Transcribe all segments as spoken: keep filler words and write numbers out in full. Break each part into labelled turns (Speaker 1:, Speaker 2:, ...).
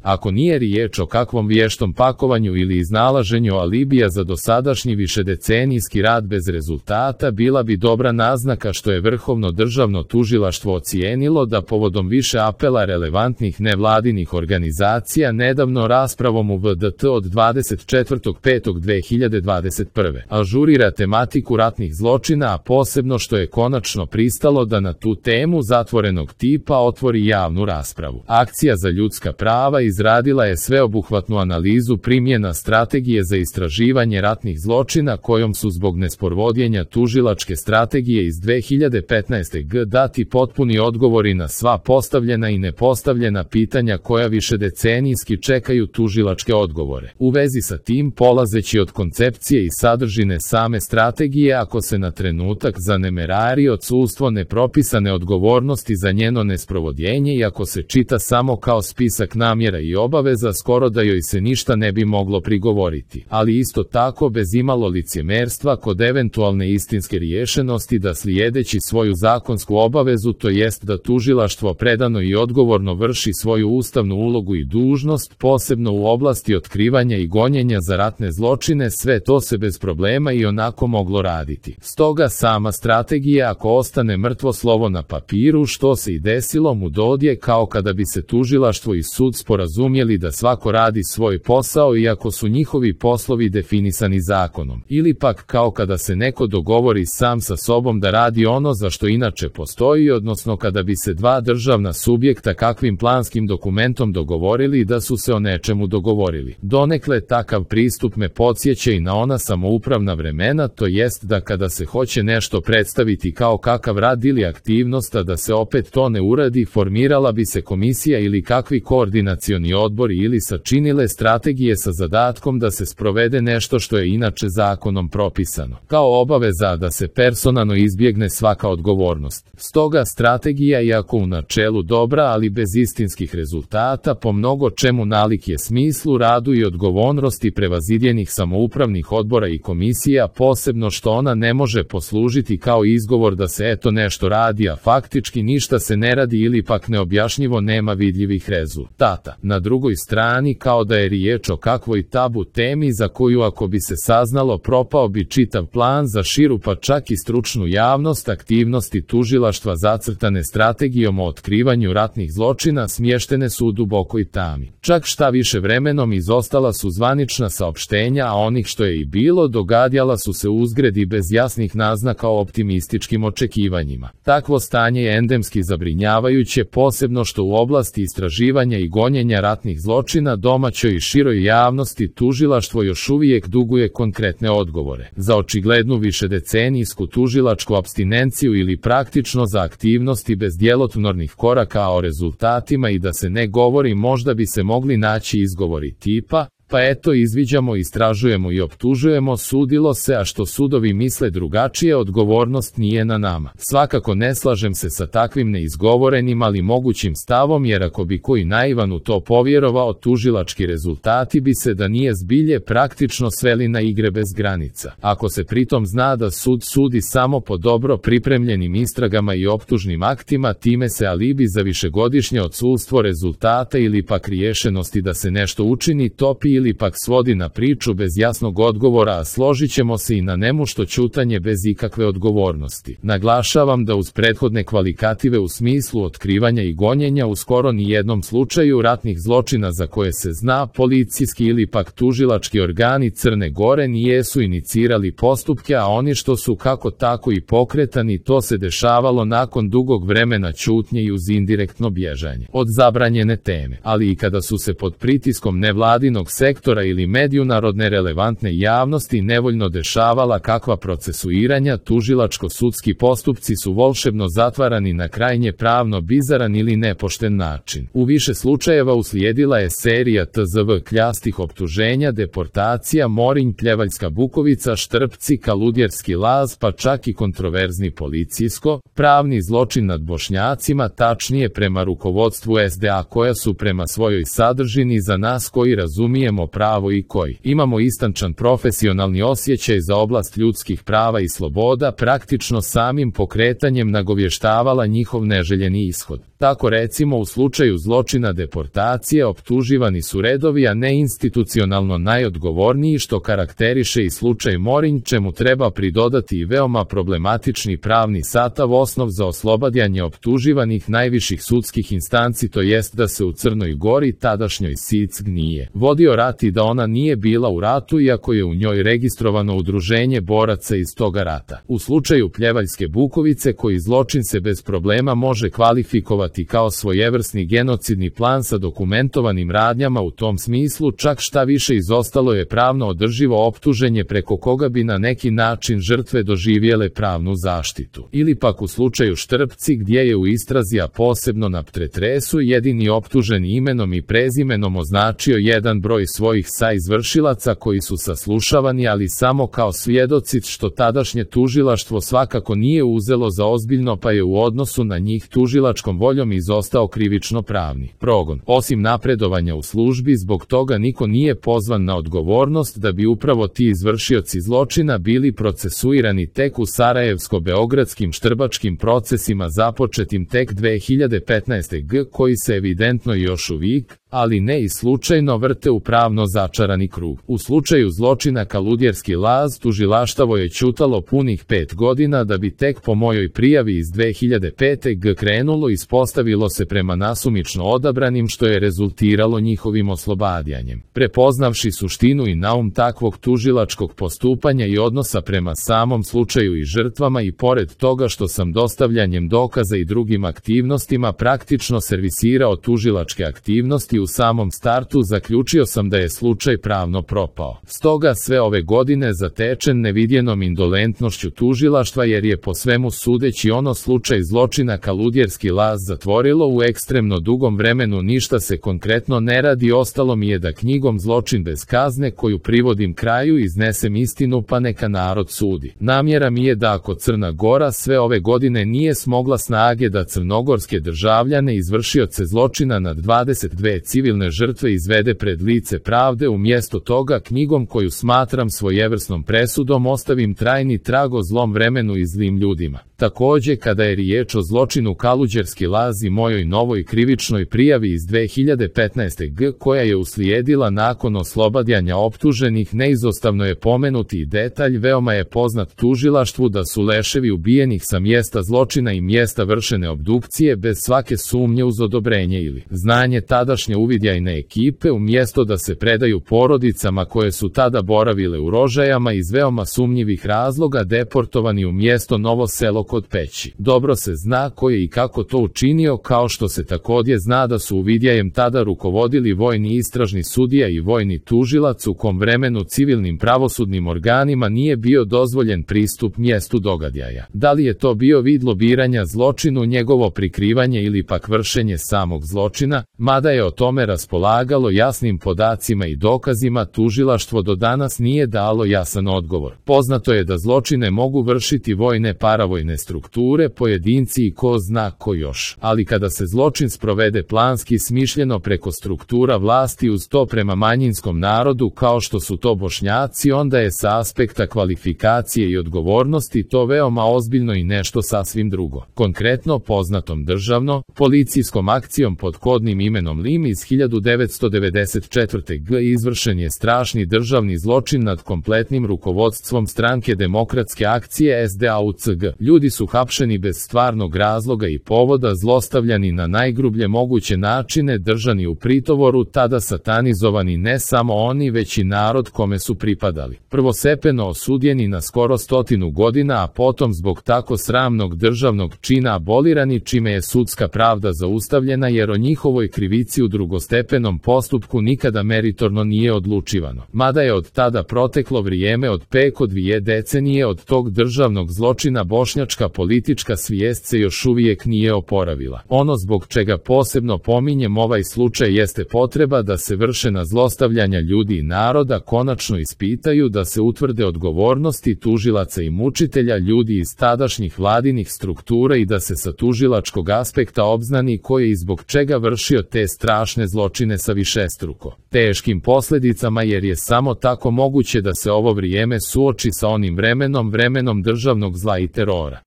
Speaker 1: Ako nije riječ o kakvom vještom pakovanju ili iznalaženju alibija za dosadašnji višedecenijski rad bez rezultata, bila bi dobra naznaka što je Vrhovno državno tužilaštvo ocijenilo da povodom više apela relevantnih nevladinih organizacija nedavno raspravom u V D T od dvadeset četvrtog petog dve hiljade dvadeset prve ažurira tematiku ratnih zločina, a posebno što je konačno pristalo da na tu temu zatvorenog tipa otvori javnu raspravu. Akcija za ljudska prava izradila je sveobuhvatnu analizu primjena strategije za istraživanje ratnih zločina kojom su zbog nesporvodjenja tužilačke strategije iz dve hiljade petnaeste. g dati potpuni odgovori na sva postavljena i nepostavljena pitanja koja višedecenijski čekaju tužilačke odgovore. U vezi sa tim, polazeći od koncepcije i sadržine same strategije, ako se na trenutak zanemari odsustvo nepropisane odgovornosti za njeno nesprovodjenje i ako se čita samo kao spisak namjera i obaveza, skoro da joj se ništa ne bi moglo prigovoriti, ali isto tako bez imalo licemjerstva kod eventualne istinske riješenosti da slijedeći svoju zakonsku obavezu, to jest da tužilaštvo predano i odgovorno vrši svoju ustavnu ulogu i dužnost, posebno u oblasti otkrivanja i gonjenja za ratne zločine, sve to se bez problema i onako moglo raditi. Stoga sama strategija, ako ostane mrtvo slovo na papiru, što se i desilo, mu dodje kao kada bi se tužilaštvo i sud sporazumjeli da svako radi svoj posao iako su njihovi poslovi definisani zakonom, ili pak kao kada se neko dogovori sam sa sobom da radi ono za što inače postoji, odnosno kada bi se dva državna subjekta kakvim planskim dokumentom dogovorili da su se o nečemu dogovorili. Donekle takav pristup me podsjeća i na ona samoupravna vremena, to jest da kada se hoće nešto predstaviti kao kakav rad ili aktivnost, a da se opet to ne uradi, formirala bi se komisija ili kakvi koordinacioni odbori ili sačinile strategije sa zadatkom da se sprovede nešto što je inače zakonom propisano, kao obaveza da se personalno izbjegne svaka odgovornost. Stoga strategija, iako u načelu dobra, ali bez istinskih rezultata, po mnogo čemu nalik je smislu, radu i odgovornosti prevazidjenih samoupravnih odbora i komisija, posebno što ona ne može poslužiti kao izgovor da se eto nešto radi, a faktički ništa se ne radi ili pak neobjašnjivo nema vidljivih rezultata. Na drugoj strani, kao da je riječ o kakvoj tabu temi za koju ako bi se saznalo propao bi čitav plan za širu pa čak i stručnu javnost, aktivnosti tužilaštva zacrtane strategijom o otkrivanju ratnih zločina smještene su u dubokoj tami. Čak šta više vremenom izostala su zvanična saopštenja, a onih što je i bilo događala su se uzgredi bez jasnih naznaka o optimističkim očekivanjima. Takvo stanje je endemski zabrinjavajuće, posebno što u oblasti istraživanja i gonjenja ratnih zločina domaćoj i široj javnosti tužilaštvo još uvijek duguje konkretne odgovore. Za očiglednu višedecenijsku tužilačku apstinenciju ili praktično za aktivnosti bez djelotvornih koraka, a o rezultatima i da se ne govori, možda bi se mogli naći izgovori tipa: pa eto, izviđamo, istražujemo i optužujemo, sudilo se, a što sudovi misle drugačije, odgovornost nije na nama. Svakako ne slažem se sa takvim neizgovorenim ali mogućim stavom, jer ako bi koji naivan u to povjerovao, tužilački rezultati bi se, da nije zbilje, praktično sveli na igre bez granica. Ako se pritom zna da sud sudi samo po dobro pripremljenim istragama i optužnim aktima, time se alibi za višegodišnje odsustvo rezultata ili pak riješenosti da se nešto učini topi ili pak svodi na priču bez jasnog odgovora, a složit ćemo se i na nemušto ćutanje bez ikakve odgovornosti. Naglašavam da uz prethodne kvalikative u smislu otkrivanja i gonjenja u skoro ni jednom slučaju ratnih zločina za koje se zna, policijski ili pak tužilački organi Crne Gore nijesu inicirali postupke, a oni što su kako tako i pokretani, to se dešavalo nakon dugog vremena ćutnje i uz indirektno bježanje od zabranjene teme, ali i kada su se pod pritiskom nevladinog sektora ili međunarodne relevantne javnosti nevoljno dešavala kakva procesuiranja, tužilačko-sudski postupci su volšebno zatvarani na krajnje pravno bizaran ili nepošten način. U više slučajeva uslijedila je serija tzv. kljastih optuženja, deportacija, Morinj, Pljevaljska Bukovica, Štrpci, Kaludjerski laz, pa čak i kontroverzni policijsko pravni zločin nad Bošnjacima, tačnije prema rukovodstvu S D A, koja su prema svojoj sadržini za nas koji razumijemo poštujemo pravo i koji imamo istančan profesionalni osjećaj za oblast ljudskih prava i sloboda, praktično samim pokretanjem nagovještavala njihov neželjeni ishod. Tako recimo u slučaju zločina deportacije optuživani su redovi, a ne institucionalno najodgovorniji, što karakteriše i slučaj Morinj, čemu treba pridodati i veoma problematični pravni satav osnov za oslobađanje optuživanih najviših sudskih instanci, to jest da se u Crnoj Gori, tadašnjoj S I C G, nije vodio rat i da ona nije bila u ratu, iako je u njoj registrovano udruženje boraca iz toga rata. U slučaju Pljevaljske Bukovice, koji zločin se bez problema može kvalifikovati kao svojevrsni genocidni plan sa dokumentovanim radnjama u tom smislu, čak šta više izostalo je pravno održivo optuženje preko koga bi na neki način žrtve doživjele pravnu zaštitu. Ili pak u slučaju Štrpci, gdje je u istrazi, a posebno na pretresu, jedini optuženi imenom i prezimenom označio jedan broj svojih saizvršilaca koji su saslušavani, ali samo kao svjedoci, što tadašnje tužilaštvo svakako nije uzelo za ozbiljno, pa je u odnosu na njih tužilačkom voljom izostao krivično pravni progon. Osim napredovanja u službi, zbog toga niko nije pozvan na odgovornost, da bi upravo ti izvršioci zločina bili procesuirani tek u sarajevsko-beogradskim štrbačkim procesima započetim tek dve hiljade petnaeste. g, koji se evidentno još uvijek, ali ne i slučajno, vrte u pravno začarani krug. U slučaju zločina Kaludjerski Laz tužilaštvo je ćutalo punih pet godina, da bi tek po mojoj prijavi iz dve hiljade pete. g krenulo i ispostavilo se prema nasumično odabranim, što je rezultiralo njihovim oslobađanjem. Prepoznavši suštinu i naum takvog tužilačkog postupanja i odnosa prema samom slučaju i žrtvama, i pored toga što sam dostavljanjem dokaza i drugim aktivnostima praktično servisirao tužilačke aktivnosti u samom startu, zaključio sam da je slučaj pravno propao. Stoga sve ove godine zatečen nevidjenom indolentnošću tužilaštva, jer je po svemu sudeći ono slučaj zločina Kaludjerski Laz zatvorilo u ekstremno dugom vremenu, ništa se konkretno ne radi. Ostalo mi je da knjigom Zločin bez kazne, koju privodim kraju, iznesem istinu, pa neka narod sudi. Namjera mi je da, ako Crna Gora sve ove godine nije smogla snage da crnogorske državljane, izvršioce zločina nad dvadeset dve civilne žrtve, izvede pred lice pravde, umjesto toga knjigom koju smatram svojevrsnom presudom ostavim trajni trag o zlom vremenu i zlim ljudima. Također, kada je riječ o zločinu Kaludjerski Laz i mojoj novoj krivičnoj prijavi iz dve hiljade petnaeste. g, koja je uslijedila nakon oslobađanja optuženih, neizostavno je pomenuti detalj. Veoma je poznat tužilaštvu da su leševi ubijenih sa mjesta zločina i mjesta vršene obdukcije bez svake sumnje uz odobrenje ili znanje tadašnje uviđajne ekipe, umjesto da se predaju porodicama koje su tada boravile u Rožajama iz veoma sumnjivih razloga, deportovani u mjesto Novo Selo kod Peći. Dobro se zna ko je i kako to učinio, kao što se također zna da su uviđajem tada rukovodili vojni istražni sudija i vojni tužilac, u kom vremenu civilnim pravosudnim organima nije bio dozvoljen pristup mjestu događaja. Da li je to bio vid lobiranja zločinu, njegovo prikrivanje ili pak vršenje samog zločina, mada je o tome raspolagalo jasnim podacima i dokazima, tužilaštvo do danas nije dalo jasan odgovor. Poznato je da zločine mogu vršiti vojne, paravojne strukture, pojedinci i ko zna ko još. Ali kada se zločin sprovede planski, smišljeno preko struktura vlasti, uz to prema manjinskom narodu kao što su to Bošnjaci, onda je sa aspekta kvalifikacije i odgovornosti to veoma ozbiljno i nešto sasvim drugo. Konkretno, poznatom državno policijskom akcijom pod kodnim imenom Lim iz hiljadu devetsto devedeset četvrte. g izvršen je strašni državni zločin nad kompletnim rukovodstvom Stranke demokratske akcije S D A U C G. Ljudi su hapšeni bez stvarnog razloga i povoda, zlostavljani na najgrublje moguće načine, držani u pritovoru, tada satanizovani ne samo oni, već i narod kome su pripadali. Prvostepeno osudjeni na skoro stotinu godina, a potom zbog tako sramnog državnog čina abolirani, čime je sudska pravda zaustavljena, jer o njihovoj krivici u drugostepenom postupku nikada meritorno nije odlučivano. Mada je od tada proteklo vrijeme od preko dvije decenije od tog državnog zločina, bošnjačka politička svijest se još uvijek nije oporavila. Ono zbog čega posebno pominjem ovaj slučaj jeste potreba da se vršena zlostavljanja ljudi i naroda konačno ispitaju, da se utvrde odgovornosti tužilaca i mučitelja ljudi iz tadašnjih vladinih struktura i da se sa tužilačkog aspekta obznani ko je i zbog čega vršio te strašne strašne zločine sa višestruko teškim posljedicama, jer je samo tako moguće da se ovo vrijeme suoči sa onim vremenom, vremenom državnog zla i terora.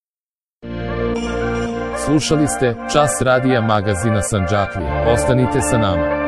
Speaker 1: Slušali ste Čas radija magazina Sandžaklija. Ostanite sa nama.